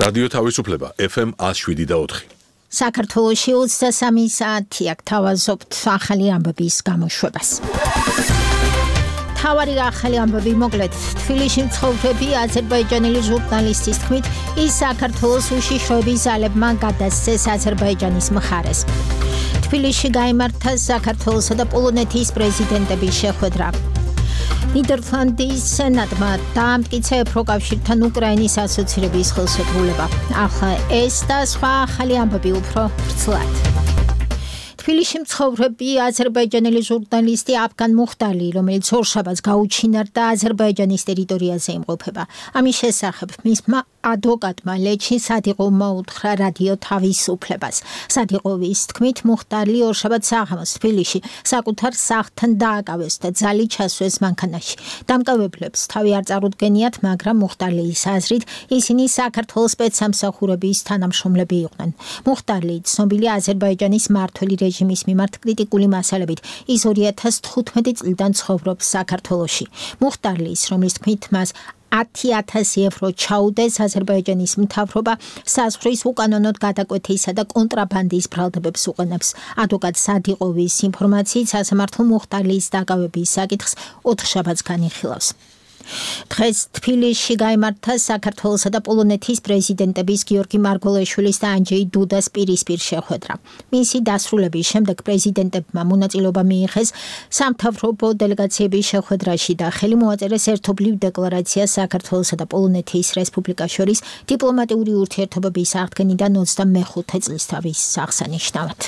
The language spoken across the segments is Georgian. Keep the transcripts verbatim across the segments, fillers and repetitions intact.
რადიო თავისუფლება ეფ ემ one oh seven და four. საქართველოში ოცდასამი საათი აქ თავაზობთ ახალი ამბების გამოშვებას. თავარი ახალი ამბები მოკლედ თბილისში მცხოვრები აზერბაიჯანელი ჟურნალისტის თქმით ის საქართველოს უშიშროების ძალებმა გადასცეს აზერბაიჯანის მხარეს. თბილისში გაიმართა საქართველოსა და პოლონეთის პრეზიდენტების შეხვედრა. ნიდერლანდის სენატმა დაამტკიცა ევროკავშირთან უკრაინის ასოცირების ხელშეკრულება. ახლა ეს და სხვა ახალი ამბები უფრო ვრცლად. თბილისში მცხოვრები აზერბაიჯანელი ჟურნალისტი აფგან მუხტალი, რომელიც ორშაბათს გაუჩინარდა აზერბაიჯანის ტერიტორიაზე იმყოფება. ამის შესახებ მისმა ადვოკატმა ლეჩი სადიღოვმა უთხრა რადიო თავისუფლებას. სადიღოვის თქმით მუხტალი ორშაბათს საღამოს თბილისში საკუთარ სახლთან დააკავეს და ძალი ჩასვეს მანქანაში. დამკავებლებს თავი არ წარუდგენიათ, მაგრამ მუხტალის აზრით ისინი საქართველოს სპეცსამსახურების თანამშრომლები იყვნენ. მუხტალი ცნობილი აზერბაიჯანის მმართველი რეჟიმის მიმართ კრიტიკული მასალებით ის ორი ათას თხუთმეტი წლიდან ცხოვრობს საქართველოში. მუხტალის, რომლის თქმით მას ათი ათასი ევრო ჩაუდეს აზერბაიჯანის მთავრობა საზღვრის უკანონოდ გადაკვეთისა და კონტრაბანდის ბრალდებებს უყენებს. ადვოკატ სადიღოვის ინფორმაციით სასამართლო მუხტალის დაკავების საკითხს ოთხშაბათს განიხილავს. დღეს თბილისში გაიმართა საქართველოსა და პოლონეთის პრეზიდენტების გიორგი მარგველაშვილის და ანჯეი დუდას პირისპირ შეხვედრა. მისი დასრულების შემდეგ პრეზიდენტებმა მონაწილეობა მიიღეს სამთავრობო დელეგაციების შეხვედრაში და ხელი მოაწერეს ერთობლივ დეკლარაციას საქართველოსა და პოლონეთის რესპუბლიკას შორის დიპლომატიური ურთიერთობების აღდგენიდან ოცდამეხუთე წლისთავის აღსანიშნავად.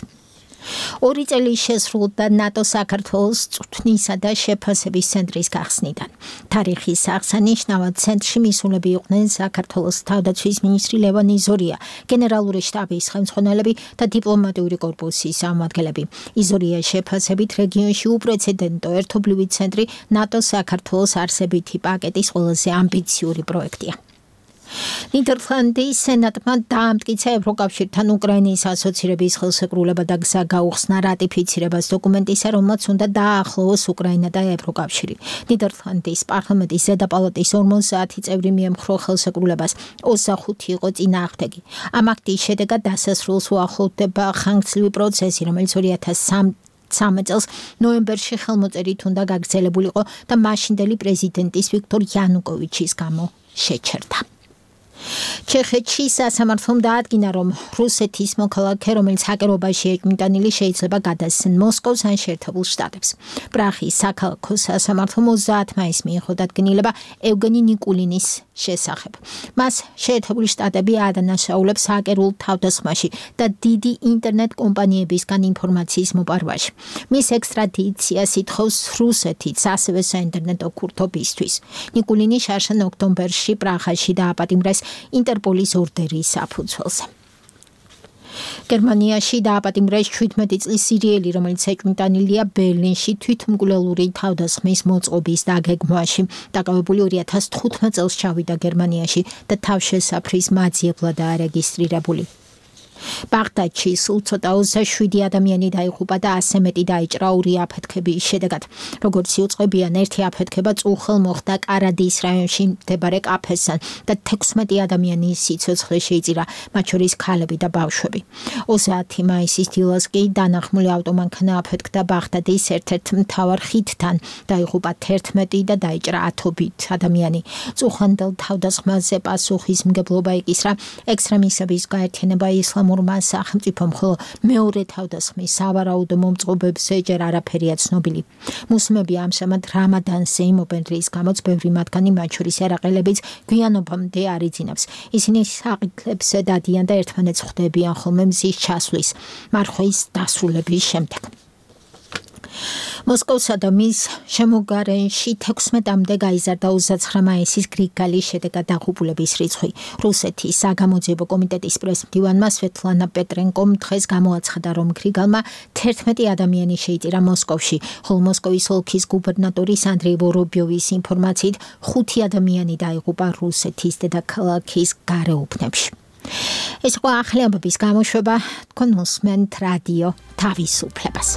ორი წელი შესრულდა ნატო საქართველოს წვრთნისა და შეფასების ცენტრის გახსნიდან. თარიხის აღსანიშნავად ცენტრში მისულები იყვნენ საქართველოს თავდაცვის მინისტრი ლევან იზორია, გენერალური შტაბის ხელმძღვანელები და დიპლომატიური კორპუსის წარმომადგენლები. იზორიას შეფასებით რეგიონში უპრეცედენტო ერთობლივი ცენტრი ნატო საქართველოს არსებითი პაკეტის ყველაზე ამბიციური პროექტია. ნიდერლანდის სენატმა დაამტკიცა ევროკავშირთან უკრაინის ასოცირების ხელშეკრულება და გზა გაუხსნა რატიფიცირებას დოკუმენტისა, რომელმაც უნდა დააახლოვოს უკრაინა და ევროკავშირი. ნიდერლანდის პარლამენტის ზედა პალატის ორმოცდაათი წევრი მიემხრო ხელშეკრულებას, ოცდახუთი იყო წინააღმდეგი. ამ აქტის შედეგად დასასრულს უახლოვდება ხანგრძლივი პროცესი, რომელიც ორი ათას სამი წელს ნოემბერში ხელმოწერით უნდა გაგრძელებულიყო და მაშინდელი პრეზიდენტის ვიქტორ იანუკოვიჩის გამო შეჩერდა. ჩეხეთში სასამართლომ დაადგინა, რომ რუსეთის მოქალაქე, რომელიც ჰაკერობაში ეჭვმიტანილი, შეიძლება გადასცენ მოსკოვს ან შეერთებულ შტატებს. პრაღის საქალაქო სასამართლომ ოცდაათი მაისს მიიღო დადგენილება ევგენი ნიკულინის შესახებ. მას შეერთებული შტატები ადანაშაულებს ჰაკერულ თავდასხმაში და დიდი ინტერნეტ კომპანიებისგან ინფორმაციის მოპარვაში. მის ექსტრადიციას ითხოვს რუსეთიც, ასევე საინტერნეტო ქურთობისთვის. ნიკულინი შარშან ოქტომბერში პრაღაში დააპატიმრეს ინტერპოლის ორდერის საფუძველზე. გერმანიაში დააპატიმრეს შვიდმეტი წლის სირიელი, რომელიც ეჭვმიტანილია ბერლინში თვითმკვლელური თავდასხმის მოწყობის დაგეგმვაში. დაკავებული ორი ათას თხუთმეტ წელს ჩავიდა გერმანიაში და თავშესაფრის მაძიებლად არეგისტრირებული. ბაღდადში სულ ცოტა ოცდაშვიდი ადამიანი დაიღუპა და ასზე მეტი დაიჭრა ორი აფეთქების შედეგად. როგორც იუწყებიან, ერთი აფეთქება წუხელ მოხდა კარადის რაიონში მდებარე კაფესთან და თექვსმეტი ადამიანის სიცოცხლე შეიწირა, მათ შორის ქალები და ბავშვები. ოცდაათი მაისის დილას კი დანახმული ავტომანქანა აფეთქდა ბაღდადის ერთ-ერთ მთავარ ხიდთან, დაიღუპა თერთმეტი და დაიჭრა ათობით ადამიანი. წუხანდელ თავდასხმაზე პასუხისმგებლობა იკისრა ექსტრემისტების გაერთიანება ისლამურ სახელმწიფომ, ხოლო მეორე თავდასხმის სავარაუდო მომწყობებზე ჯერ არაფერია ცნობილი. მუსლიმები ამჟამად რამადანზე იმობენ, რის გამოც ბევრი მათგანი, მათ შორის ერაყელებიც, გვიანობამდე არ იძინებს. ისინი საკითხებს დადიან და ერთმანეთს ხვდებიან ხოლმე მზის ჩასვლის, მარხვის დასრულების შემდეგ. მოსკოვსა და მის შემოგარენში თექვსმეტამდე გაიზარდა ოცდაცხრა მაისის გრიგალის შედეგად დაღუპულების რიცხვი. რუსეთის საგამოძიებო კომიტეტის პრესმდივანმა სვეტლანა პეტრენკომ დღეს გამოაცხადა, რომ გრიგალმა თერთმეტი ადამიანი შეიწირა მოსკოვში, ხოლო მოსკოვის ოლქის გუბერნატორის ანდრეი ვორობიოვის ინფორმაციით ხუთი ადამიანი დაიღუპა რუსეთის დედაქალაქის გარეუბნებში. ეს იყო ახალი ამბების გამოშვება, თქვენ უსმენთ რადიო თავისუფლებას.